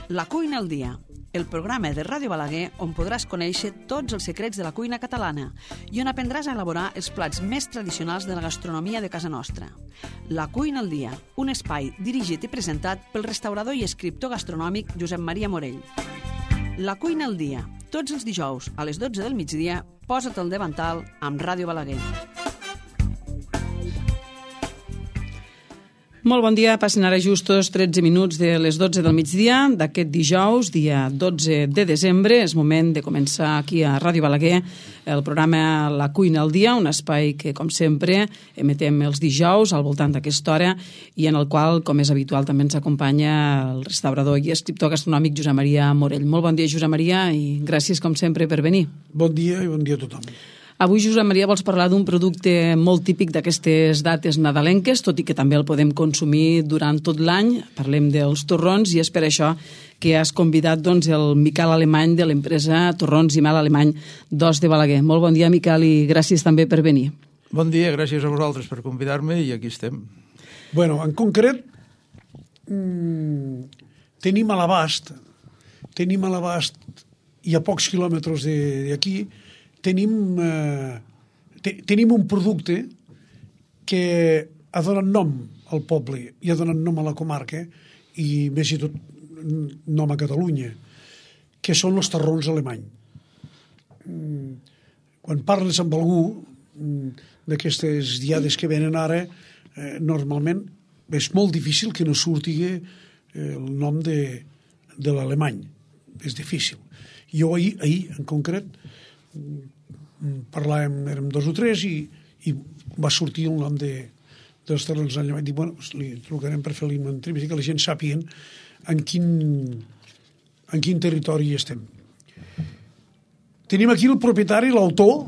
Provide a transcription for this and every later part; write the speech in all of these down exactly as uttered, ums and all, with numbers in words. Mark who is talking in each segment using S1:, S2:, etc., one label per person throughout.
S1: La cuina al dia, el programa de Ràdio Balaguer on podràs conèixer tots els secrets de la cuina catalana i on aprendràs a elaborar els plats més tradicionals de la gastronomia de casa nostra. La cuina al dia, un espai dirigit i presentat pel restaurador i escriptor gastronòmic Josep Maria Morell. La cuina al dia, tots els dijous a les dotze del migdia, posa't al davantal amb Ràdio Balaguer. Molt bon dia, passen ara justos tretze minuts de les dotze del migdia d'aquest dijous, dia dotze de desembre. És moment de començar aquí a Ràdio Balaguer el programa La cuina al dia, un espai que, com sempre, emetem els dijous al voltant d'aquesta hora i en el qual, com és habitual, també ens acompanya el restaurador i escriptor gastronòmic Josep Maria Morell. Molt bon dia, Josep Maria, i gràcies, com sempre, per venir.
S2: Bon dia i bon dia a tothom.
S1: Avui, Josep Maria, vols parlar d'un producte molt típic d'aquestes dates nadalenques, tot i que també el podem consumir durant tot l'any. Parlem dels torrons i és per això que has convidat doncs, el Miquel Alemany de l'empresa Torrons i Mel Alemany d'Os de Balaguer. Molt bon dia, Miquel, i gràcies també per venir.
S3: Bon dia, gràcies a vosaltres per convidar-me i aquí estem.
S2: Bueno, en concret, mmm, tenim a l'abast, tenim a l'abast i a pocs quilòmetres d'aquí, Tenim, eh, te, tenim un producte que ha donat nom al poble i ha donat nom a la comarca i més i tot nom a Catalunya, que són els torrons alemany. Quan parles amb algú d'aquestes diades que venen ara, eh, normalment és molt difícil que no surti el nom de, de l'alemany. És difícil. Jo ahir, ahir en concret, parlàvem, érem dos o tres i, i va sortir el nom de, dels torrons alemany. Dic, bueno, li trucarem per fer-li una entrevista que la gent sàpiguen en quin, en quin territori estem. Tenim aquí el propietari, l'autor,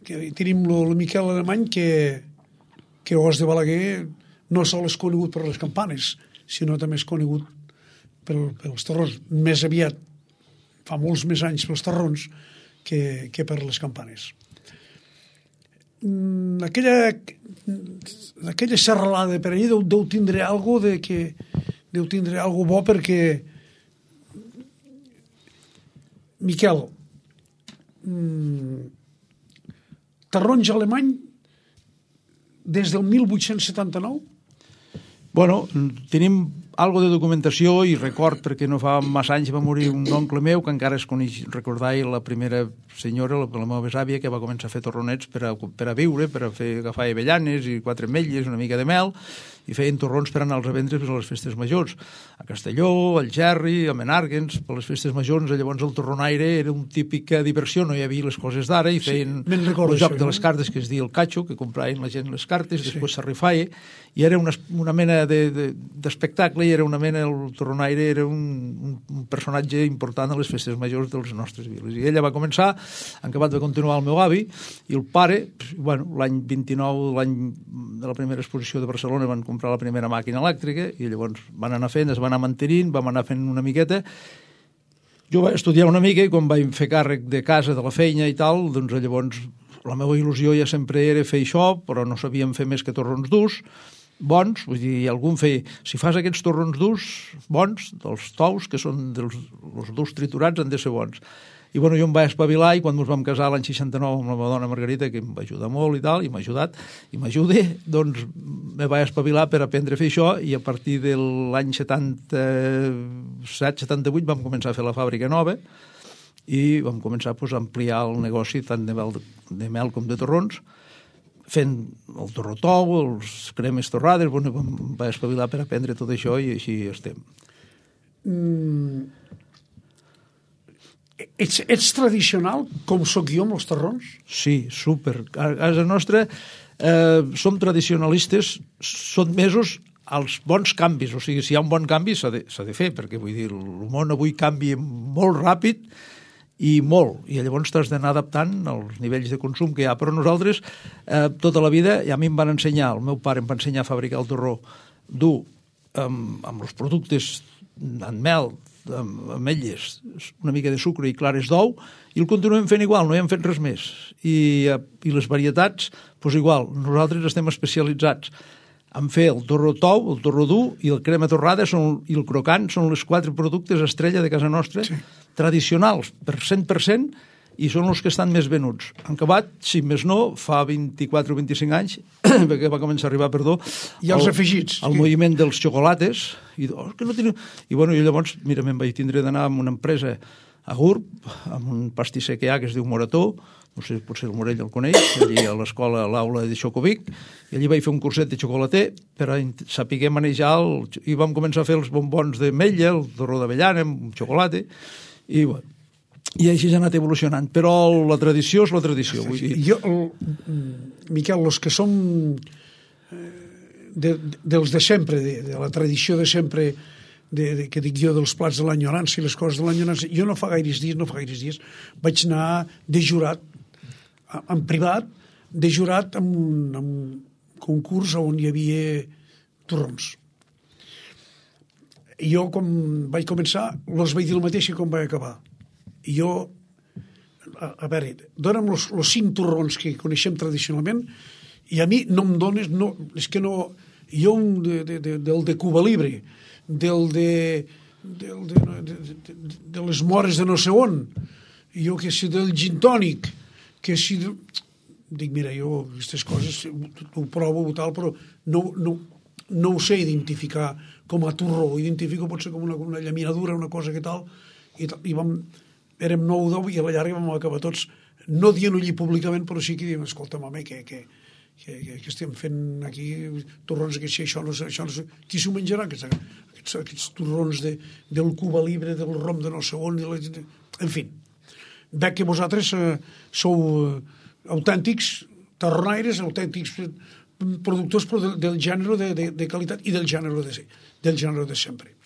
S2: que tenim el Miquel Alemany, que, que Os de Balaguer no sol és conegut per les campanes, sinó també és conegut pel, pels torrons. Més aviat, fa molts més anys pels torrons, Que, que per les campanes. Mm, aquella, aquella serralada per allà deu, deu tindre algo de que deu tindre algo bo perquè Miquel, mm, taronja alemany des del mil vuit-cents setanta-nou?
S3: Bueno, tenim algo de documentació i record, perquè no fa massa anys va morir un oncle meu que encara es coneix, recordar la primera senyora, la, la meva besàvia, que va començar a fer torronets per a, per a viure, per a fer, agafar avellanes i quatre ametlles, una mica de mel, i feien torrons per anar-los a vendre per a les festes majors. A Castelló, al Gerri, a Menàrguens, per les festes majors. Llavors el torronaire era una típica diversió, no hi havia les coses d'ara, i feien sí, el joc això, de les cartes que es diu el catxo, que compraven la gent les cartes, sí. Després s'arrifaia, i era una, una mena d'espectacle, de, de, i era una mena, el torronaire era un, un personatge important a les festes majors de les nostres viles. I ella va començar, en acabat va continuar el meu avi, i el pare, bueno, l'any vint-i-nou, l'any de la primera exposició de Barcelona, van comprar la primera màquina elèctrica, i llavors van anar fent, es van anar mantenint, vam anar fent una miqueta. Jo vaig estudiar una mica, i quan vaig fer càrrec de casa, de la feina i tal, doncs llavors la meva il·lusió ja sempre era fer això, però no sabíem fer més que torrons durs, bons, vull dir, algun feia, si fas aquests torrons durs, bons, dels tous, que són dels els durs triturats, han de ser bons. I bueno, jo em vaig espavilar, i quan ens vam casar l'any seixanta-nou amb la meva dona Margarita, que em va ajudar molt i tal, i m'ha ajudat, i m'ajuda, doncs me vaig espavilar per aprendre a fer això, i a partir de l'any setanta-set setanta-vuit vam començar a fer la fàbrica nova, i vam començar pues, a ampliar el negoci tant de mel, de mel com de torrons, fent el torrotou, els cremes torrades, bueno, em vaig espavilar per aprendre tot això, i així estem.
S2: Mm. Ets, ets tradicional, com sóc jo amb els torrons?
S3: Sí, súper. A casa nostra eh, som tradicionalistes, són mesos als bons canvis. O sigui, si hi ha un bon canvi s'ha de, s'ha de fer, perquè vull dir, el món avui canvia molt ràpid i molt, i llavors t'has d'anar adaptant als nivells de consum que hi ha. Però nosaltres, eh, tota la vida, ja a mi em van ensenyar, el meu pare em va ensenyar a fabricar el torró dur amb, amb els productes en mel, amb ametlles, una mica de sucre i clares d'ou, i el continuem fent igual, no hi hem fet res més. I, i les varietats, doncs igual, nosaltres estem especialitzats en fer el torró tou, el torró dur i el crema torrada són, i el crocant són les quatre productes estrella de casa nostra, sí. tradicionals per cent per cent, i són els que estan més venuts. Han acabat, si més no, fa vint-i-quatre o vint-i-cinc anys, perquè va començar a arribar, perdó,
S2: i els el, afegits.
S3: El que... moviment dels xocolates, i, oh, que no teniu... I, bueno, i llavors, mira, me'n vaig tindre d'anar amb una empresa a Gurb, amb un pastisser que hi ha que es diu Morató, no sé, potser el Morell el coneix, allí a l'escola, a l'aula de Xocovic, i allí vaig fer un curset de xocolater per a saber manejar, el... i vam començar a fer els bombons d'ametlla, el torró d'avellana, amb xocolata, i bueno, i així s'ha anat evolucionant, però la tradició és la tradició. Vull dir.
S2: Jo, el, Miquel, els que som de, dels de sempre, de, de la tradició de sempre, de, de, que dic jo, dels plats de l'enyorança i les coses de l'enyorança, jo no fa gaires dies, no fa gaires dies, vaig anar de jurat, en privat, de jurat en un, en un concurs on hi havia torrons. Jo, quan vaig començar, els vaig dir el mateix que quan vaig acabar. I jo, a, a veure, dona'm els cinc torrons que coneixem tradicionalment i a mi no em dones, no, és que no, jo un de, de, de, del de Cuba Libre, del de, del de, de, de, de les mores de no sé on, jo que si del gin tònic, que si... De... Dic, mira, jo aquestes coses ho provo o tal, però no, no, no ho sé identificar com a torró, ho identifico potser com una, una llaminadura, una cosa que tal, i, i vam... érem nou o deu i a la llarga vam acabar tots, no dient-ho allí públicament, però sí que diem, escolta, home, que, que, que, que estem fent aquí torrons, que si això no sé, això no sé, qui s'ho menjarà, aquests, aquests, aquests torrons de, del Cuba Libre, del rom de no sé on, de la, de, en fi. Veig que vosaltres eh, sou eh, autèntics torronaires, autèntics productors però del, del gènere de, de, de qualitat i del gènere de, del gènere de sempre.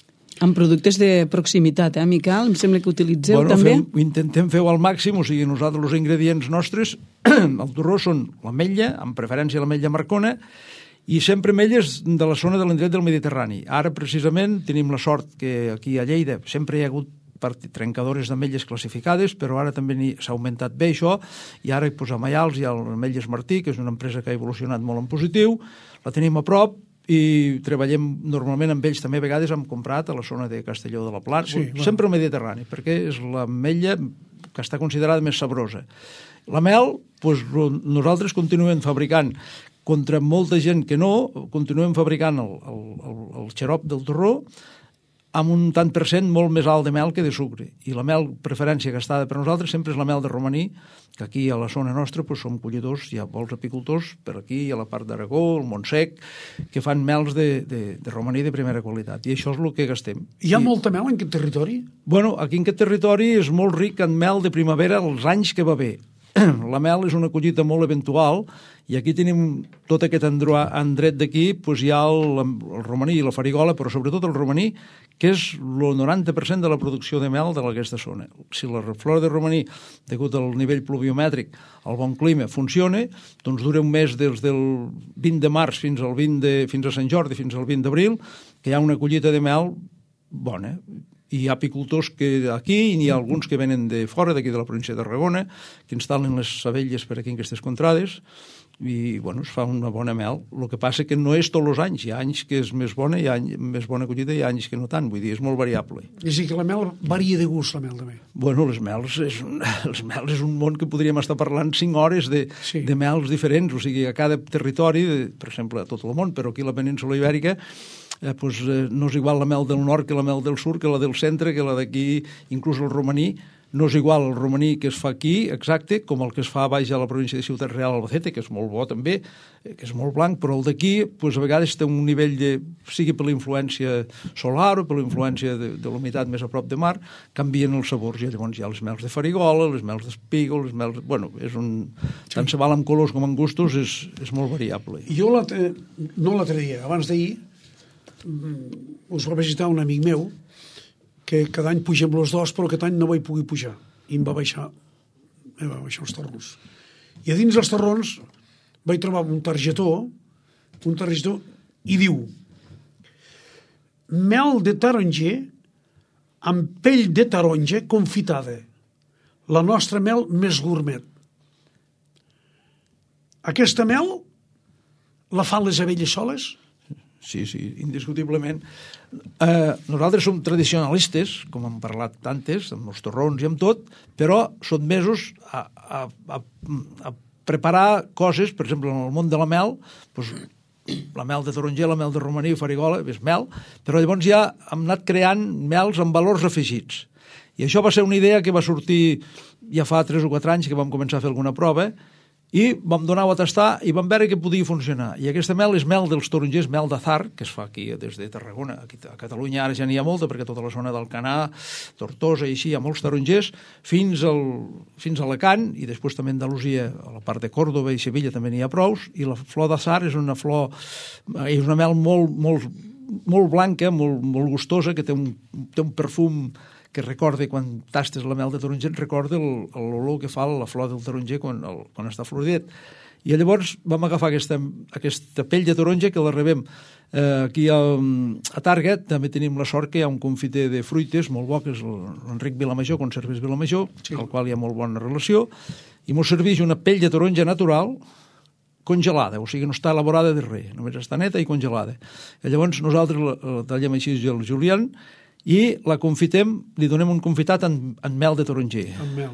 S1: Amb productes de proximitat, eh, Miquel? Em sembla que utilitzeu
S3: bueno,
S1: també...
S3: Fem, intentem fer-ho al màxim, o sigui, nosaltres els ingredients nostres, el torró són l'ametlla, amb preferència l'ametlla marcona, i sempre ametlles de la zona de l'indret del Mediterrani. Ara, precisament, tenim la sort que aquí a Lleida sempre hi ha hagut trencadores d'ametlles classificades, però ara també s'ha augmentat bé això, i ara hi posem Maials, hi ha l'Ametlles Martí, que és una empresa que ha evolucionat molt en positiu, la tenim a prop, i treballem normalment amb ells també a vegades hem comprat a la zona de Castelló de la Plana, sí, sempre al Mediterrani, perquè és l'ametlla que està considerada més sabrosa. La mel, doncs, nosaltres continuem fabricant, contra molta gent que no, continuem fabricant el, el, el, el xarop del torró amb un tant per cent molt més alt de mel que de sucre. I la mel, preferència gastada per nosaltres, sempre és la mel de romaní, que aquí a la zona nostra doncs, som collidors, hi ha molts apicultors, per aquí a la part d'Aragó, el Montsec, que fan mels de, de, de romaní de primera qualitat. I això és el que gastem.
S2: Hi ha
S3: I,
S2: molta mel en aquest territori?
S3: Bueno, aquí en aquest territori és molt ric en mel de primavera els anys que va bé. La mel és una collita molt eventual i aquí tenim tot aquest endret d'aquí, doncs hi ha el, el romaní i la farigola, però sobretot el romaní, que és el noranta per cent de la producció de mel d'aquesta zona. Si la flora de romaní, degut al nivell pluviomètric, al bon clima, funciona, doncs dura un mes des del vint de març fins al vint de, fins a Sant Jordi, fins al vint d'abril, que hi ha una collita de mel bona. I hi ha apicultors que aquí, i n'hi ha alguns que venen de fora, d'aquí de la província de Tarragona, que instal·len les abelles per aquí en aquestes contrades, i bueno, es fa una bona mel. El que passa que no és tots els anys. Hi ha anys que és més bona, hi ha any, més bona collita, i hi ha anys que no tant. Vull dir, és molt variable.
S2: És a dir, que la mel varia de gust, la mel també.
S3: Bueno, les mels és un, les mels és un món que podríem estar parlant cinc hores de, sí. de mels diferents. O sigui, a cada territori, per exemple, a tot el món, però aquí a la península Ibèrica, eh, pues, eh, no és igual la mel del nord que la mel del sud, que la del centre, que la d'aquí, inclús el romaní. No és igual el romaní que es fa aquí, exacte, com el que es fa a baix a la província de Ciutat Real Albacete, que és molt bo també, que és molt blanc, però el d'aquí pues, a vegades té un nivell de, sigui per la influència solar o per la influència de, de l'humitat més a prop de mar, canvien els sabors. I llavors hi ha les mels de farigola, les mels d'espígol, les mels... Bueno, és un... Sí. Tant se val amb colors com amb gustos, és, és molt variable.
S2: Jo no l'altre dia, abans d'ahir, us va visitar un amic meu, que cada any pugem els dos, però aquest any no vaig poder pujar. I em va baixar, em va baixar els torrons. I a dins dels torrons vaig trobar un targetó, un targetó, i diu: mel de taronger amb pell de taronja confitada. La nostra mel més gourmet. Aquesta mel la fan les abelles soles?
S3: sí, sí, indiscutiblement. Eh, nosaltres som tradicionalistes, com hem parlat tantes, amb els torrons i amb tot, però sotmesos a, a, a, a preparar coses, per exemple, en el món de la mel, doncs, la mel de taronger, la mel de romaní, farigola, és mel, però llavors ja hem anat creant mels amb valors afegits. I això va ser una idea que va sortir ja fa tres o quatre anys que vam començar a fer alguna prova i vam donar-ho a tastar i vam veure que podia funcionar. I aquesta mel és mel dels tarongers, mel d'azar, que es fa aquí des de Tarragona. Aquí a Catalunya ara ja n'hi ha molta, perquè tota la zona d'Alcanar, Tortosa i així, hi ha molts tarongers, fins, al, fins a Alacant, i després també a Andalusia, a la part de Còrdoba i Sevilla també n'hi ha prous, i la flor d'azar és una flor, és una mel molt, molt, molt blanca, molt, molt gustosa, que té un, té un perfum que recorda, quan tastes la mel de taronger, et recorda l'olor que fa la flor del taronger quan, el, quan està floridet. I llavors vam agafar aquesta, aquesta pell de taronja que la rebem eh, aquí a, a Target. També tenim la sort que hi ha un confiter de fruites molt bo, que és l'Enric Vilamajor, Conserves Vilamajor, sí. Al qual hi ha molt bona relació, i mos serveix una pell de taronja natural congelada, o sigui, no està elaborada de res, només està neta i congelada. I llavors nosaltres la, la tallem així el julián, i la confitem, li donem un confitat en, en mel de taronger.
S2: En mel.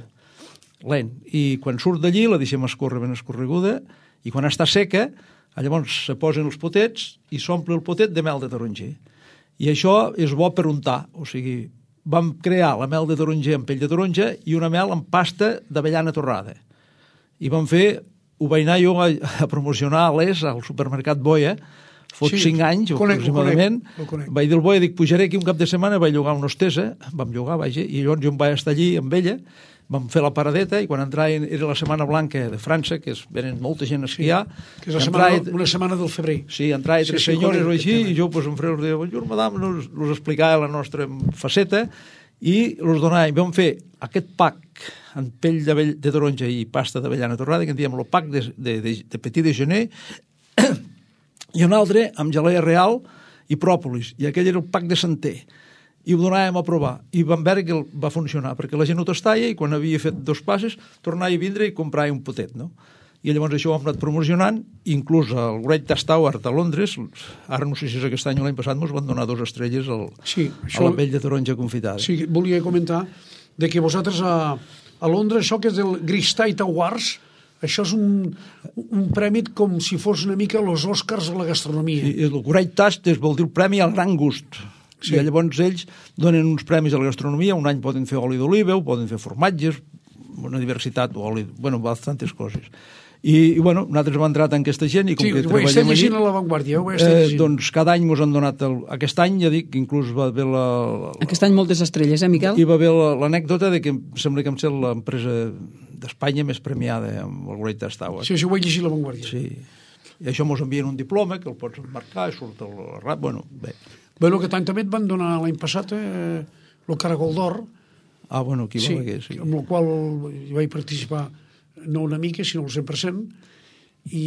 S3: Lent. I quan surt d'allí la deixem escórrer ben escorreguda i quan està seca, llavors se posen els potets i s'omple el potet de mel de taronger. I això és bo per untar. O sigui, vam crear la mel de taronger amb pell de taronja i una mel amb pasta d'avellana torrada. I vam fer, ho vaig anar jo a, a promocionar a l'Es, al supermercat Boia, fot sí, cinc anys, conec, aproximadament, ho conec, ho vaig dir al Boia, dic, pujaré aquí un cap de setmana, vaig llogar una hostessa, vam llogar, vaja, i llavors jo em vaig estar allí amb ella, vam fer la paradeta, i quan entraven, era la Setmana Blanca de França, que es venen molta gent a esquiar.
S2: Sí, que és la setmana, entraven, una setmana del febrer.
S3: Sí, entraven sí, tres sí, senyores o així, i jo, pues, em feia, de, bonjour, madame, nos, nos explicava la nostra faceta, i els donàvem, vam fer aquest pack en pell de, de taronja i pasta d'avellana torrada, que en diem el pack de, de, de, de petit déjeuner, i un altre amb gelea real i pròpolis, i aquell era el pack de Santer, i ho donàvem a provar, i vam veure que va funcionar, perquè la gent ho tastava i quan havia fet dos passes tornava a vindre i comprava un potet, no? I llavors això ho hem anat promocionant, inclús el Great Taste Award a Londres, ara no sé si és aquest any o l'any passat, ens van donar dues estrelles al, sí, això, a la pell de taronja confitada.
S2: Sí, volia comentar de que vosaltres a, a Londres, això que és el Great Taste Awards, això és un, un premi com si fos una mica els Oscars de la gastronomia.
S3: Sí, el Great Taste vol dir el premi al gran gust. Sí. I llavors ells donen uns premis a la gastronomia, un any poden fer oli d'oliva, poden fer formatges, una diversitat, oli, bueno, bastantes coses. I, i bueno, nosaltres hem entrat en aquesta gent i com
S2: sí,
S3: que
S2: ho estem llegint a l'avantguàrdia, ho estem llegint.
S3: Eh, doncs cada any ens han donat, el, aquest any ja dic que inclús va haver la, la...
S1: Aquest any moltes estrelles, eh, Miquel?
S3: I va haver l'anècdota de que sembla que em sembla l'empresa d'Espanya més premiada amb el Great Taste Award.
S2: Sí, això ho vaig llegir a l'avantguàrdia.
S3: Sí. I això mos envien un diploma que el pots emmarcar i surt el rap, bueno, bé.
S2: Bueno, aquest any també et van donar l'any passat eh, el Caragol d'Or.
S3: Ah, bueno, aquí
S2: sí,
S3: va haver, sí.
S2: Amb el qual hi vaig participar no una mica, sinó el cent per cent, i,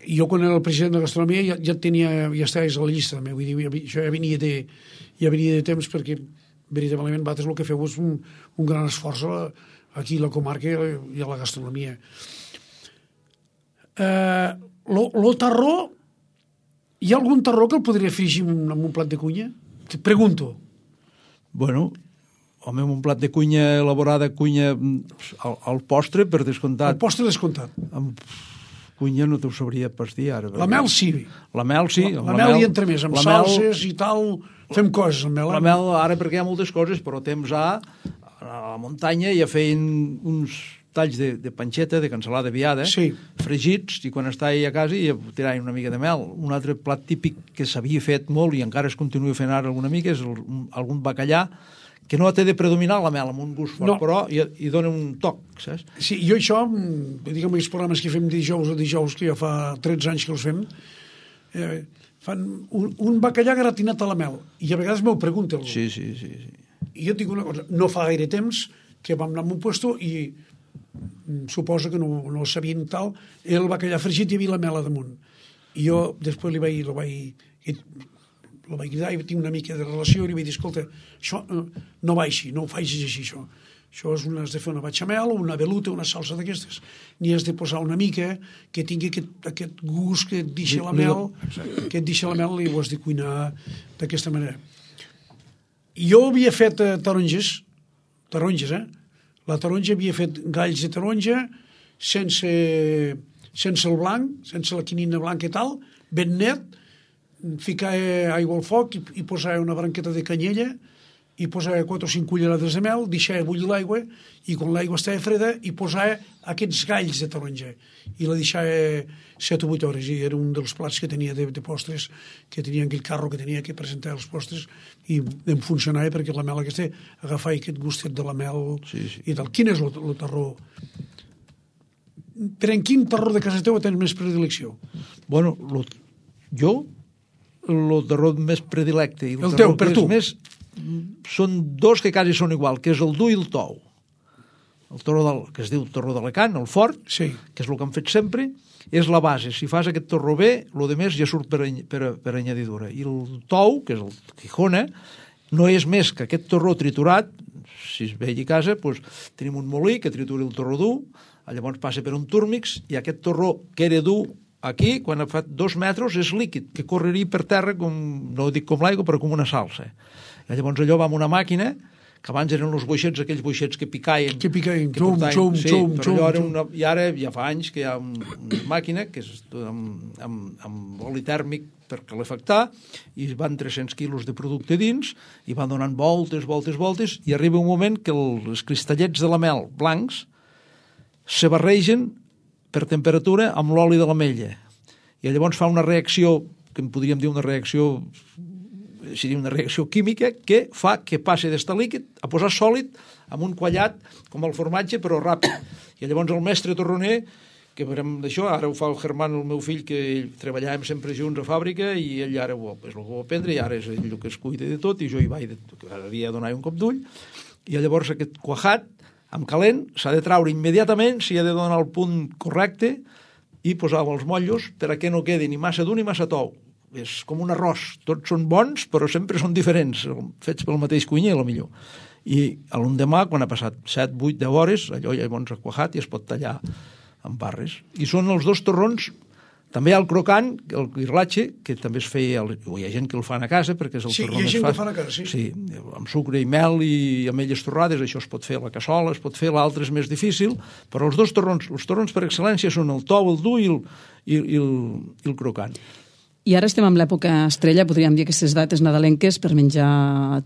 S2: i jo quan era el president de Gastronomia ja, ja tenia, ja estaves a la llista també, vull dir, ja, això ja venia de, ja venia de temps perquè veritablement vosaltres el que feu és un, un gran esforç a, aquí a la comarca i a la gastronomia. Eh, lo, lo tarró, hi ha algun tarró que el podria afegir amb un plat de cunya? Te pregunto.
S3: Bueno, home, un plat de cunya elaborada, cunya al, al postre, per descomptat.
S2: El postre descomptat.
S3: Amb cunya no t'ho sabria pas dir ara.
S2: La mel sí.
S3: La mel sí.
S2: La, la, la mel hi entra més, amb salses mel, i tal, fem coses amb mel.
S3: La mel, ara perquè hi ha moltes coses, però temps a, a la muntanya ja feien uns talls de, de panxeta, de cansalada viada,
S2: sí,
S3: fregits, i quan estava a casa i tiraven una mica de mel. Un altre plat típic que s'havia fet molt i encara es continua fent ara alguna mica és el, algun bacallà que no té de predominar la mel amb un gust fort, no, però hi, hi dona un toc, saps? Sí,
S2: jo això, diguem, els programes que fem dijous o dijous, que ja fa tretze anys que els fem, eh, fan un, un bacallà gratinat a la mel, i a vegades m'ho pregunta algú.
S3: Sí, sí, sí, sí.
S2: I jo et dic una cosa, no fa gaire temps que vam anar a un puesto i suposo que no, no sabien tal, el bacallà fregit hi havia la mel a damunt. I jo després li vaig... Li vaig el vaig cridar i tinc una mica de relació i li vaig dir, escolta, això no va així, no ho facis així, això. Això és una, has de fer una bechamel, una veluta, una salsa d'aquestes. N'hi has de posar una mica que tingui aquest, aquest gust que et deixa la mel, que et deixa la mel i ho has de cuinar d'aquesta manera. Jo havia fet eh, taronges, taronges, eh? La taronja havia fet galls de taronja sense, sense el blanc, sense la quinina blanca i tal, ben net, ficar aigua al foc i, i posar una branqueta de canyella i posar quatre o cinc cullerades de mel, deixar bullir l'aigua i quan l'aigua estava freda i posar aquests galls de taronja i la deixar set o vuit hores i era un dels plats que tenia de, de postres, que tenia aquell carro que tenia que presentar els postres i em funcionava perquè la mel aquesta agafava aquest gustet de la mel
S3: sí, sí.
S2: i tal. Quin és el, el terror? Per en quin terror de casa teva tens més predilecció?
S3: Bueno, lo, jo el terror més predilecte i el,
S2: el teu, per tu
S3: més són dos que quasi són igual, que és el dur i el tou. El torró del, que es diu torró d'Alacant, el fort,
S2: sí.
S3: que és el que han fet sempre, és la base. Si fas aquest torró bé, el de més ja surt per, per, per añadidura. I el tou, que és el Gijona, no és més que aquest torró triturat, si es veia a casa, doncs, tenim un molí que tritura el torró dur, llavors passa per un túrmix, i aquest torró que era dur aquí, quan ha fet dos metres, és líquid, que correria per terra, com, no ho dic com l'aigua, però com una salsa. I llavors allò va amb una màquina, que abans eren els boixets, aquells boixets que picaien.
S2: Que picaien,
S3: que
S2: xum, xum,
S3: sí,
S2: xum,
S3: però allò era
S2: xum.
S3: una, i ara ja fa anys que hi ha un, una màquina que és amb, amb, amb oli tèrmic per calefactar, i van tres-cents quilos de producte dins, i van donant voltes, voltes, voltes, i arriba un moment que els cristallets de la mel blancs se barregen per temperatura amb l'oli de l'ametlla. I llavors fa una reacció, que en podríem dir una reacció seria una reacció química que fa que passi d'estar líquid a posar sòlid amb un quallat com el formatge però ràpid. I llavors el mestre torroner, que veurem d'això, ara ho fa el Germán, el meu fill, que ell treballàvem sempre junts a fàbrica i ell ara ho, és el que ho va aprendre i ara és ell el que es cuida de tot i jo hi vaig, havia de donar un cop d'ull i llavors aquest cuajat amb calent s'ha de traure immediatament, s'hi ha de donar el punt correcte i posar els motllos perquè no quedi ni massa dur ni massa tou. És com un arròs, tots són bons però sempre són diferents, fets pel mateix cuiner a lo millor. I l'endemà, quan ha passat set, vuit, deu hores, allò llavors ha cuajat i es pot tallar en barres. I són els dos torrons. També hi ha el crocant, el guirlatge, que també es feia, hi ha gent que el fan a casa perquè és el
S2: sí,
S3: torró
S2: més fàcil. Sí, hi ha
S3: més
S2: gent
S3: fàcil.
S2: que fan a casa, sí.
S3: Sí, amb sucre i mel i ametlles torrades, això es pot fer a la cassola, es pot fer, l'altre és més difícil, però els dos torrons, els torrons per excel·lència són el tou, el dur i el, i, i el, i el crocant.
S1: I ara estem en l'època estrella, podríem dir aquestes dates nadalenques per menjar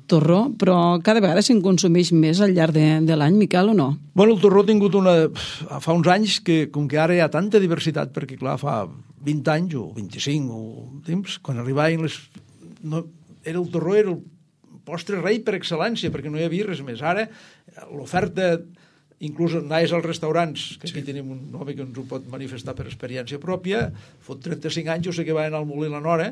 S1: torró, però cada vegada se'n consumeix més al llarg de, de l'any, Miquel, o no?
S3: Bueno, el torró ha tingut una... Fa uns anys que, com que ara hi ha tanta diversitat, perquè clar, fa vint anys o vint-i-cinc o temps, quan arribaven les... No, era el torró, era el postre rei per excel·lència, perquè no hi havia res més. Ara, l'oferta... Inclús anaves als restaurants, que aquí sí. Tenim un home que ens ho pot manifestar per experiència pròpia, fot trenta-cinc anys, jo sé que va anar al Molí la Nora,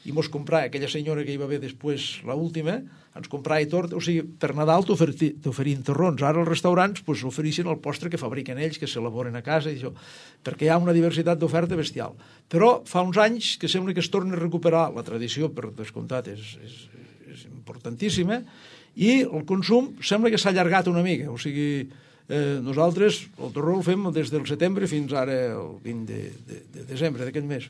S3: i mos comprava, aquella senyora que hi va haver després, l'última, ens comprava tort, o sigui, per Nadal t'oferien torrons. Ara els restaurants pues, ofereixen el postre que fabriquen ells, que s'elaboren a casa, i això, perquè hi ha una diversitat d'oferta bestial. Però fa uns anys que sembla que es torna a recuperar la tradició, per descomptat, és, és, és importantíssima, i el consum sembla que s'ha allargat una mica, o sigui... Eh, nosaltres el torró el fem des del setembre fins ara el vint de, de, de desembre d'aquest mes,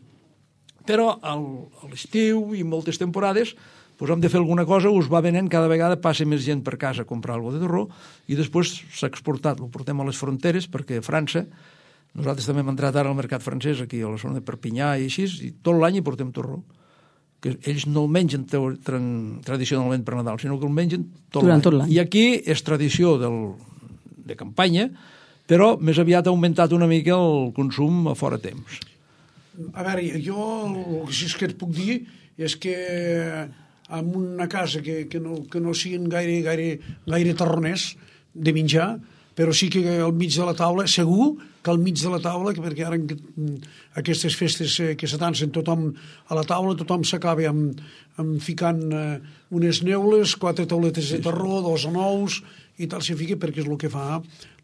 S3: però al, a l'estiu i moltes temporades pues, hem de fer alguna cosa, us va venent, cada vegada passa més gent per casa a comprar alguna de torró i després s'ha exportat, ho portem a les fronteres perquè a França, nosaltres també hem entrat ara al mercat francès aquí a la zona de Perpinyà i així, i tot l'any hi portem torró, que ells no el mengen tradicionalment per Nadal, sinó que el mengen tot l'any. I aquí és tradició del de campanya, però més aviat ha augmentat una mica el consum a fora temps.
S2: A veure, jo el que sí que et puc dir és que en una casa que, que, no, que no siguin gaire, gaire, gaire terroners de menjar, però sí que al mig de la taula, segur que al mig de la taula, perquè ara aquestes festes que s'atancen tothom a la taula, tothom s'acaba amb, amb ficant unes neules, quatre tauletes de terró, dos nous, i tal s'hi fica perquè és el que fa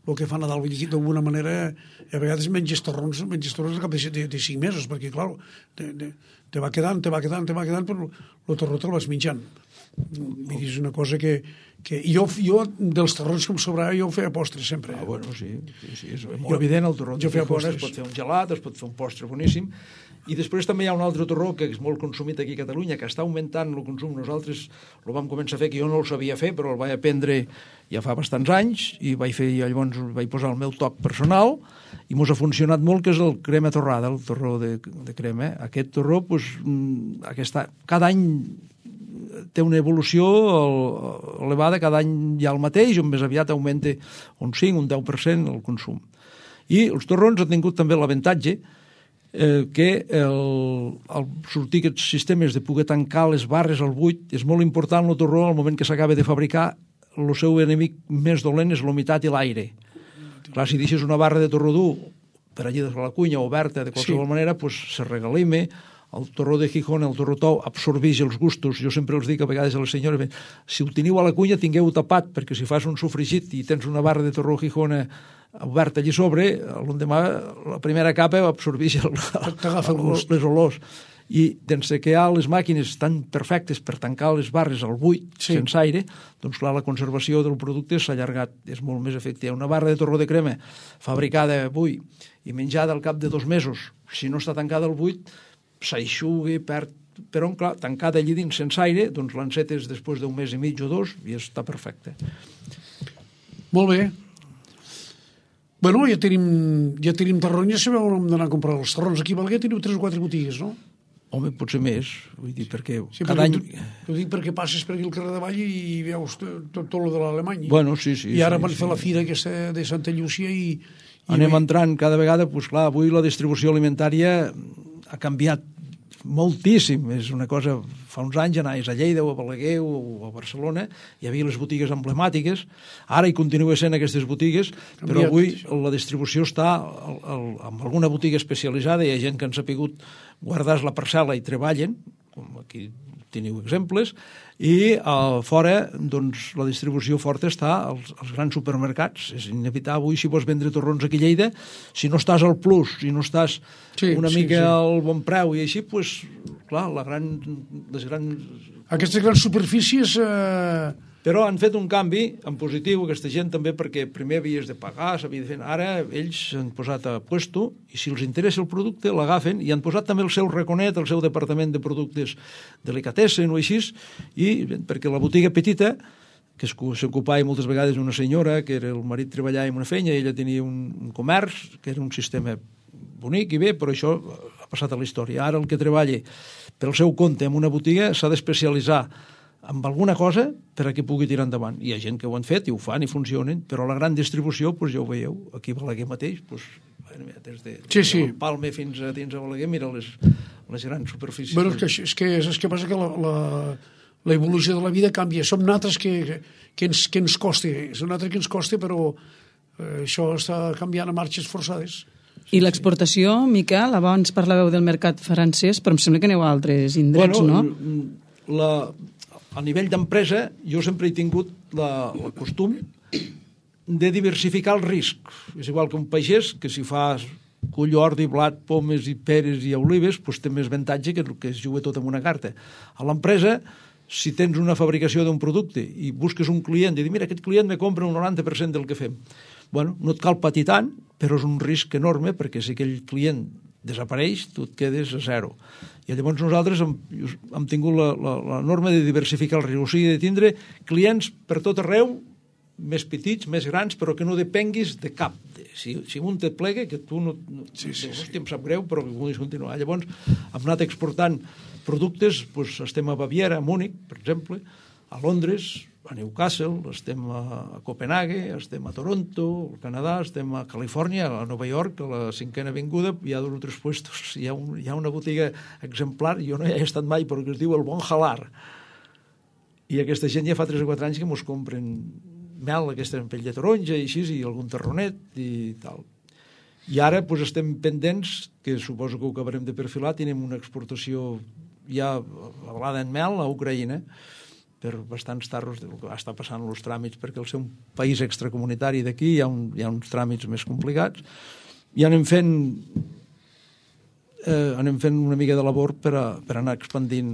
S2: el que fa Nadal, d'alguna manera a vegades menges torrons, menges torrons al cap de, de, de cinc mesos, perquè clar te, te, te va quedant, te va quedant, te va quedant, però el torró te'l vas menjant. Mira, és una cosa que... que jo, jo, dels torrons que em sobrava, jo ho feia postres sempre.
S3: Ah, bueno, sí, sí, sí, és molt jo, evident, el torró de Gijona, es pot fer un gelat, es pot fer un postre boníssim, i després també hi ha un altre torró que és molt consumit aquí a Catalunya, que està augmentant el consum. Nosaltres el vam començar a fer, que jo no el sabia fer, però el vaig aprendre ja fa bastants anys, i vaig fer, llavors vaig posar el meu toc personal, i mos ha funcionat molt, que és el crema torrada, el torró de, de crema. Aquest torró, doncs, aquesta, cada any té una evolució elevada, cada any hi ha el mateix, on més aviat augmenta un cinc, un deu per cent el consum. I els torrons han tingut també l'avantatge eh, que el, el sortir aquests sistemes de poder tancar les barres al buit és molt important el torró al moment que s'acaba de fabricar. El seu enemic més dolent és l'humitat i l'aire. Clar, si deixes una barra de torró dur per allí de la cuina oberta de qualsevol sí. manera, pues, se regalima. El torró de Gijona, el torró tou, absorbeix els gustos. Jo sempre els dic a vegades a les senyores, si ho teniu a la cuina, tingueu-ho tapat, perquè si fas un sofregit i tens una barra de torró Gijona oberta allí sobre, l'endemà la primera capa absorbeix el, el, les olors. I d'ense que hi ha les màquines tan perfectes per tancar les barres al buit, sí. sense aire, doncs clar, la conservació del producte s'ha allargat, és molt més efectiva. Una barra de torró de crema fabricada avui i menjada al cap de dos mesos, si no està tancada al buit, s'aixuga, perd... Però, clar, tancada allí dins sense aire, doncs l'encetes després d'un mes i mig o dos i està perfecte.
S2: Molt bé. Bueno, ja tenim, ja tenim torrons, ja sabeu on hem d'anar a comprar els torrons. Aquí a Balaguer teniu tres o quatre botigues, no?
S3: Home, potser més, vull dir, perquè
S2: sí,
S3: cada
S2: perquè
S3: any...
S2: Ho dic perquè passes per aquí al carrer de Vall i veus tot, tot lo de l'Alemany.
S3: Bueno, sí, sí.
S2: I ara
S3: sí,
S2: van
S3: sí.
S2: fer la fira aquesta de Santa Llúcia i... i
S3: Anem
S2: bé...
S3: entrant cada vegada, doncs clar, avui la distribució alimentària ha canviat moltíssim. És una cosa, fa uns anys anaves a Lleida o a Balaguer o a Barcelona, hi havia les botigues emblemàtiques, ara hi continua sent aquestes botigues, canviat, però avui això. La distribució està al, al, en alguna botiga especialitzada, hi ha gent que han sapigut guardar la parcel·la i treballen, com aquí teniu exemples, i a fora doncs, la distribució forta està als, als grans supermercats. És inevitable avui, si vols vendre torrons aquí a Lleida, si no estàs al Plus, si no estàs sí, una sí, mica sí. al bon preu i així, pues, clar, la gran, les grans...
S2: Aquestes grans superfícies... Eh...
S3: Però han fet un canvi en positiu, aquesta gent també, perquè primer havies de pagar, s'havia de fer... Ara ells s'han posat a puesto i si els interessa el producte l'agafen i han posat també el seu raconet, el seu departament de productes delicatessen o així, i perquè la botiga petita, que s'ocupava moltes vegades una senyora, que era el marit treballava en una feina i ella tenia un, un comerç, que era un sistema bonic i bé, però això ha passat a la història. Ara el que treballa pel seu compte en una botiga s'ha d'especialitzar amb alguna cosa per a que pugui tirar endavant. Hi ha gent que ho han fet i ho fan i funcionen, però la gran distribució, doncs ja ho veieu, aquí a Balaguer mateix, doncs, des de
S2: sí, sí.
S3: Palme fins a dins a Balaguer, mira les, les grans superfícies.
S2: Bueno, és que, és que, és que passa que la, la, la evolució de la vida canvia. Som nosaltres que, que, ens, que ens costa, som nosaltres que ens costa, però eh, això està canviant a marxes forçades.
S1: I l'exportació, Miquel, abans parlàveu del mercat francès, però em sembla que aneu a altres indrets,
S3: bueno,
S1: no?
S3: La... A nivell d'empresa, jo sempre he tingut la, el costum de diversificar el risc. És igual que un pagès, que si fas cull, ordi, blat, pomes i peres i olives, doncs té més avantatge que el que es juga tot en una carta. A l'empresa, si tens una fabricació d'un producte i busques un client i dius, mira, aquest client me compra un noranta per cent del que fem. Bueno, no et cal patir tant, però és un risc enorme, perquè si aquell client desapareix, tu et quedes a zero. I llavors nosaltres hem, hem tingut la, la, la norma de diversificar el risc, o sigui, de tindre clients per tot arreu, més petits, més grans, però que no depenguis de cap. Si, si un te plega, que tu no... no sí, sí, sí. Hòstia, em sap greu, però que vulguis continuar. Llavors hem anat exportant productes, doncs estem a Baviera, a Múnich, per exemple, a Londres, a Newcastle, estem a Copenhague, estem a Toronto, al Canadà, estem a Califòrnia, a Nova York, a la cinquena avinguda, hi ha dos o tres puestos, hi ha, un, hi ha una botiga exemplar, jo no hi he estat mai, però que es diu el Bon Halar. I aquesta gent ja fa tres o quatre anys que mos compren mel, aquesta en pell de taronja i així, i algun terronet i tal. I ara doncs, estem pendents, que suposo que ho acabarem de perfilar, tenim una exportació ja avalada en mel a Ucraïna, per bastants tarros del que va estar passant els tràmits, perquè al ser un país extracomunitari d'aquí hi ha, un, hi ha uns tràmits més complicats, i anem fent eh, anem fent una mica de labor per, a, per anar expandint,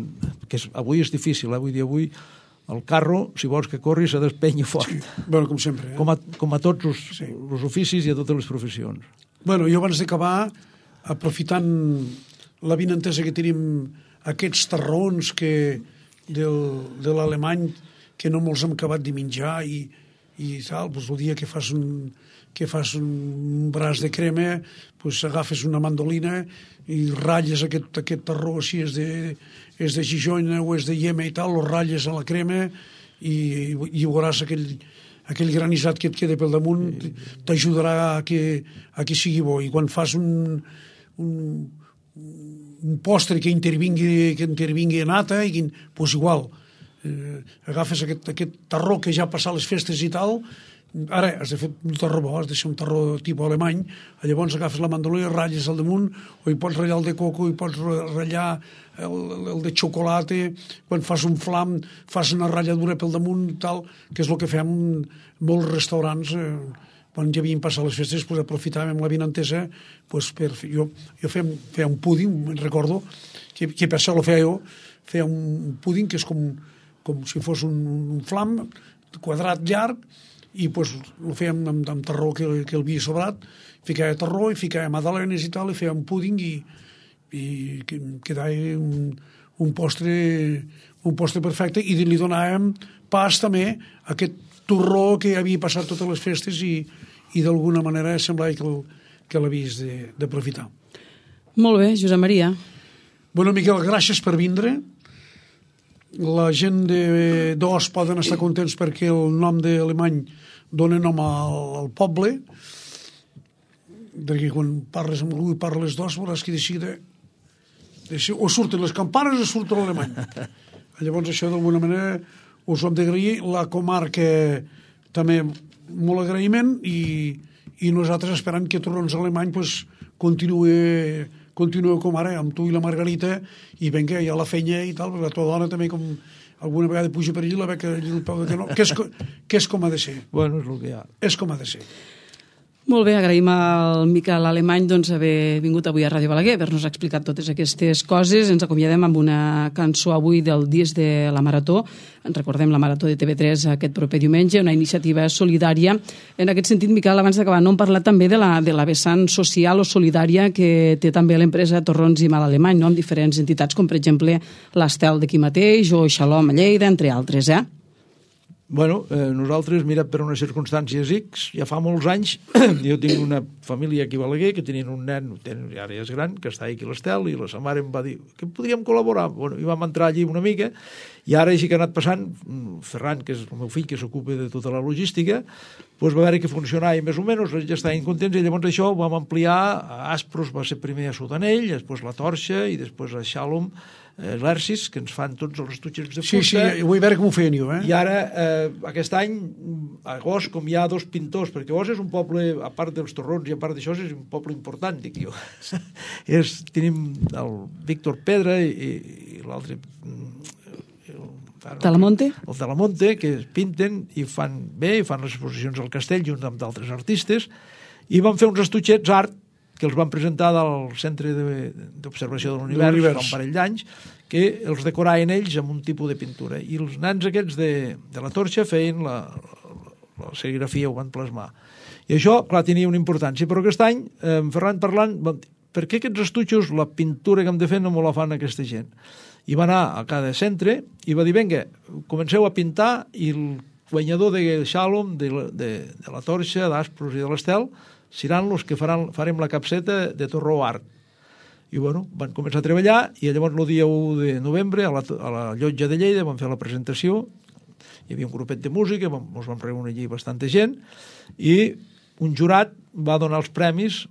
S3: que és, avui és difícil, eh? Vull dir, avui el carro, si vols que corri, s'ha d'espènyer fort.
S2: Sí. Bueno, com sempre. Eh?
S3: Com, a, com a tots els,
S2: Sí.
S3: els oficis i a totes les professions.
S2: Bueno, jo abans d'acabar, aprofitant la vinentesa que tenim, aquests tarrons que del, de l'alemany que no molts hem acabat de menjar i, i tal, doncs el dia que fas un, que fas un braç de crema, doncs agafes una mandolina i ratlles aquest, aquest tarró, si és de, és de Gijona o és de Iema i tal, lo ratlles a la crema i, i veuràs aquell, aquell granissat que et queda pel damunt, t'ajudarà a que, a que sigui bo. I quan fas un, un, un postre que intervingui, que intervingui nata, i que, doncs igual, eh, agafes aquest, aquest tarró que ja ha passat les festes i tal, ara has de fer un tarró bo, has de ser un tarró tipus alemany, llavors agafes la mandolina, ratlles al damunt, o hi pots ratllar el de coco, hi pots ratllar el, el de xocolata, quan fas un flam fas una ratlladura pel damunt, tal, que és el que fem molts restaurants, eh, quan ja havien passat les festes, pues, aprofitàvem la vinentesa, pues, per fer, jo, jo feia, feia un púding, me'n recordo, que, que per això lo feia jo, feia un púding que és com, com si fos un, un flam quadrat llarg, i pues, ho fèiem amb, amb tarró que, que el havia sobrat, ficava tarró i ficava magdalenes i tal, i fèiem púding i, i quedava un, un postre un postre perfecte, i li donàvem pas també a aquest torró que havia passat totes les festes i, i d'alguna manera semblava que, que l'havies d'aprofitar.
S1: Molt bé, Josep Maria.
S2: Bueno, Miquel, gràcies per vindre. La gent d'Os poden estar contents perquè el nom d'alemany dona nom al, al poble, perquè quan parles amb algú i parles d'Os veuràs que de seguida o surten les campanes o surt l'alemany. Llavors això d'alguna manera us ho hem d'agrair. La comarca també molt agraïment i, i nosaltres esperant que Torrons Alemany pues, continuï continueu com ara, amb tu i la Margarita, i vinga, hi ha la feina i tal, perquè la tua dona també, com alguna vegada puja per allí, la beca allí el peu de canó, que és, que és com ha de ser.
S3: Bueno, és el que hi ha.
S2: És com ha de ser.
S1: Molt bé, agraïm al Miquel Alemany doncs, haver vingut avui a Ràdio Balaguer, haver-nos explicat totes aquestes coses. Ens acomiadem amb una cançó avui del disc de la Marató. Ens recordem la Marató de T V tres aquest proper diumenge, una iniciativa solidària. En aquest sentit, Miquel, abans d'acabar, no hem parlat també de la, de la vessant social o solidària que té també l'empresa Torrons i Mal Alemany, no? Amb diferents entitats, com per exemple l'Estel d'aquí mateix o Xalom a Lleida, entre altres, eh?
S3: Bueno, eh, nosaltres, mira, per unes circumstàncies X, ja fa molts anys, jo tinc una família aquí a Balaguer que tenien un nen, tenen, ara ja és gran, que està aquí a l'Estel, i la sa mare em va dir que podríem col·laborar. Bueno, i vam entrar allí una mica, i ara així que ha anat passant, Ferran, que és el meu fill, que s'ocupa de tota la logística, doncs va veure que funcionava més o menys, ja estaven contents, i llavors això ho vam ampliar a Aspros, va ser primer a Sudanell, després la Torxa, i després a Xalom, eh, l'Ercis, que ens fan tots els estutxes de fusta.
S2: Sí, sí, vull veure com ho feien jo, eh?
S3: I ara, eh, aquest any, a Os, com hi ha dos pintors, perquè Os és un poble, a part dels Torrons i a part d'això, és un poble important, dic jo. és, tenim el Víctor Pedra i, i l'altre...
S1: Talamonte?
S3: El Talamonte, que pinten i fan bé, i fan les exposicions al castell junt amb d'altres artistes, i van fer uns estutxets art que els van presentar del Centre d'Observació de l'Univers fa un parell d'anys, que els decoraven ells amb un tipus de pintura. I els nans aquests de, de la Torxa feien la, la serigrafia, ho van plasmar. I això, clar, tenia una importància. Però aquest any, eh, en Ferran parlant, per què aquests estutxos, la pintura que hem de fer no me la fan aquesta gent? I va anar a cada centre i va dir, vinga, comenceu a pintar, i el guanyador de Xalom, de, de, de la Torxa, d'Aspros i de l'Estel, seran els que faran, farem la capseta de Torró Art. I bueno, van començar a treballar, i llavors el dia u de novembre a la, a la Llotja de Lleida van fer la presentació, hi havia un grupet de música, vam, ens vam reunir allí bastanta gent, i un jurat va donar els premis,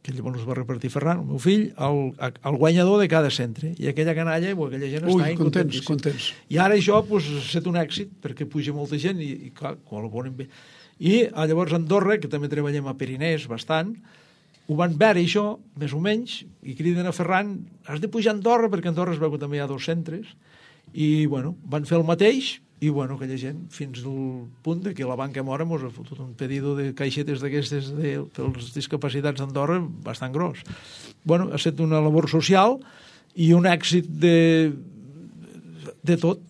S3: que llavors els va repartir Ferran, el meu fill, al, al guanyador de cada centre. I aquella canalla, o aquella gent
S2: Ui,
S3: està
S2: contents, contents.
S3: I ara això pues, ha estat un èxit, perquè puja molta gent i, i clar, col·laboren bé. I llavors a Andorra, que també treballem a Perinès bastant, ho van veure això, més o menys, i criden a Ferran, has de pujar a Andorra, perquè a Andorra es veu que també hi ha dos centres, i bueno, van fer el mateix, i bueno, aquella gent, fins al punt de que la Banca Mora mos ha fotut un pedido de caixetes d'aquestes de, pels discapacitats d'Andorra bastant gros. Bueno, ha estat una labor social i un èxit de, de tot,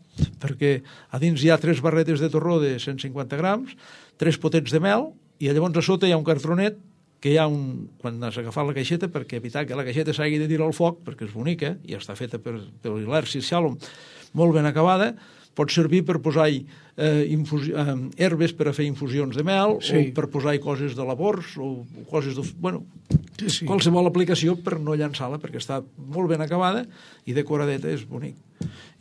S3: perquè a dins hi ha tres barretes de torró de cent cinquanta grams, tres potets de mel, i llavors a sota hi ha un cartronet que hi ha un, quan has agafat la caixeta, perquè evitar que la caixeta s'hagi de tirar al foc, perquè és bonica, i està feta per, per l'Ilersi Shalom, molt ben acabada, pot servir per posar-hi eh, infusi- eh, herbes per a fer infusions de mel, sí. o per posar-hi coses de labors, o coses de... Bueno, sí, sí. Qualsevol aplicació per no llançar-la, perquè està molt ben acabada i decoradeta, és bonic.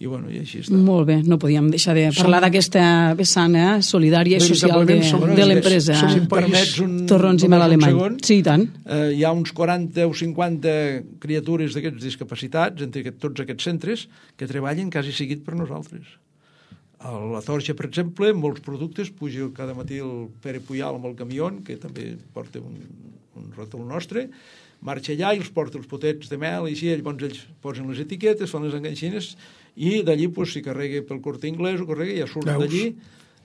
S3: I, bueno, i així està.
S1: Molt bé, no podíem deixar de parlar d'aquesta vessant eh, solidària i social de, de l'empresa.
S3: Si em permets un,
S1: Torrons i mel alemany.
S3: Segon,
S1: sí, i tant.
S3: Eh, hi ha uns quaranta o cinquanta criatures d'aquests discapacitats, entre aquest, tots aquests centres, que treballen quasi seguit per nosaltres. A la Torxa, per exemple, molts productes, puja cada matí el Pere Puyal amb el camió, que també porta un, un rotol nostre, marxa allà i els porta els potets de mel i així, llavors ells posen les etiquetes, fan les enganxines i d'allí pues, si carrega pel Corte Inglés o carrega ja surt d'allí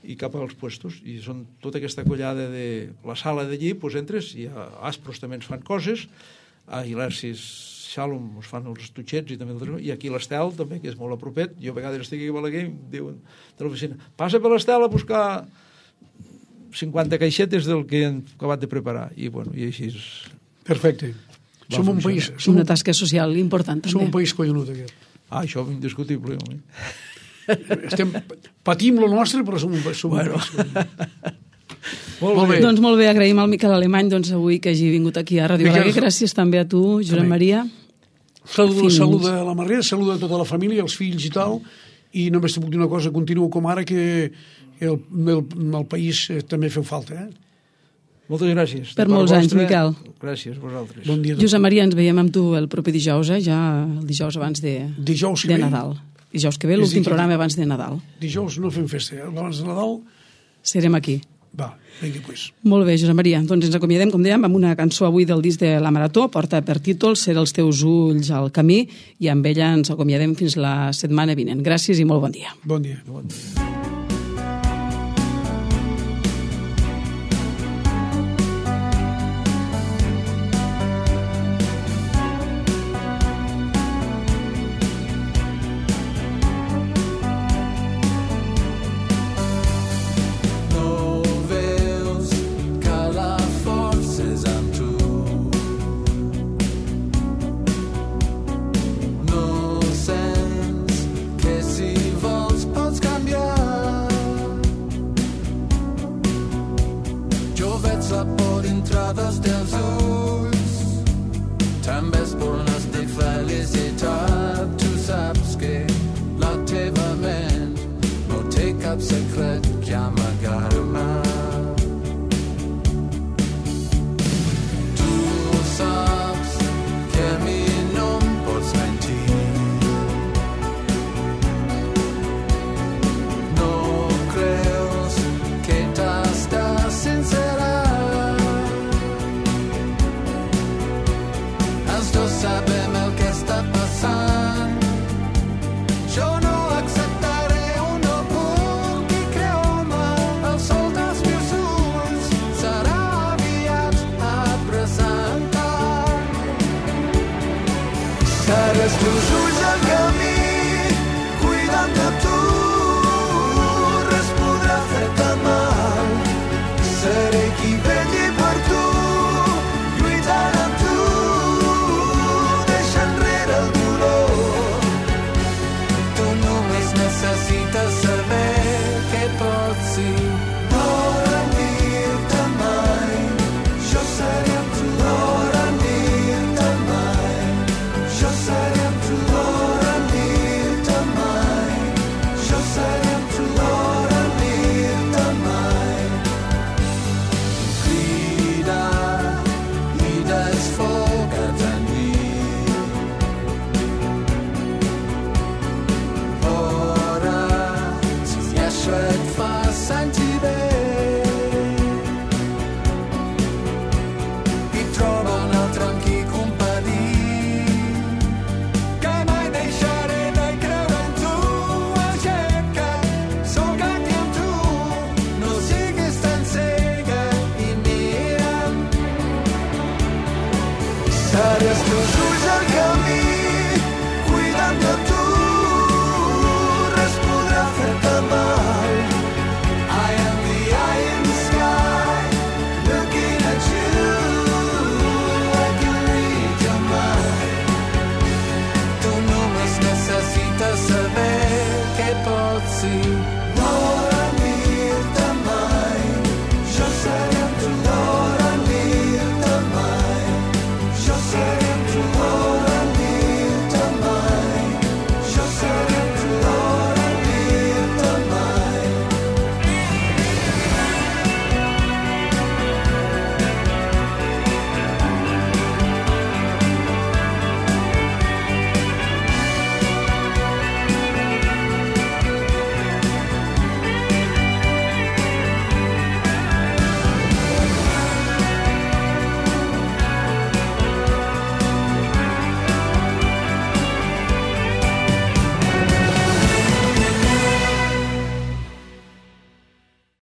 S3: i cap als puestos. I són tota aquesta collada de la sala d'allí, pues, entres i a Aspros també ens fan coses, a Ilersis Shalom us fan els estuixets i també el... i aquí l'Estel també, que és molt a propet. Jo a vegades estic aquí a Balaguer i em diuen de l'oficina, passa per l'Estel a buscar cinquanta caixetes del que hem acabat de preparar. I bueno, i així és...
S2: Perfecte.
S3: Va
S2: som un país... Som
S1: una tasca social important, també.
S2: Som un país collonut, aquest.
S3: Ah, això és indiscutible.
S2: Estem, patim lo nostre, però som un, som
S3: bueno.
S2: un país collonut.
S3: Molt, molt bé.
S1: Doncs molt bé, agraïm al Miquel Alemany doncs, avui que hagi vingut aquí a Ràdio Balaguer. Gràcies també a tu, Josep Maria.
S2: Saluda, saluda a la Marrera, saluda a tota la família, els fills i tal, i només te puc dir una cosa, continuo com ara, que el, el, el país també feu falta, eh?
S3: Moltes gràcies.
S1: Per molts anys, Miquel.
S3: Gràcies, vosaltres.
S2: Bon dia.
S1: Josep Maria, ens veiem amb tu el proper dijous, eh? Ja el dijous abans de,
S2: dijous
S1: de Nadal. Dijous que ve, l'últim programa abans de Nadal.
S2: Dijous no fem festa, eh? Abans de Nadal...
S1: Serem aquí.
S2: Va, vinga, pues.
S1: Molt bé, Josep Maria. Doncs ens acomiadem, com dèiem, amb una cançó avui del disc de la Marató, porta per títol Ser els teus ulls al camí, i amb ella ens acomiadem fins la setmana vinent. Gràcies i molt bon dia.
S2: Bon dia.
S3: Bon dia.
S4: la por dintre dels teus ulls. També és bones de felicitat. Tu saps que la teva ment no té cap secret que amagar-me. Tu saps que a mi no em pots mentir. No creus que t'estàs sincera. Els dos sabem el que està passant. Jo no acceptaré un no puc i creu-me, el sol dels meus ulls serà aviat a presentar. Seré els teus ulls al camí, cuidant de tu, res podrà fer-te mal. Seré qui vetlli per tu, lluitant amb tu, deixa enrere el dolor. Tu només necessites saber que pots ir.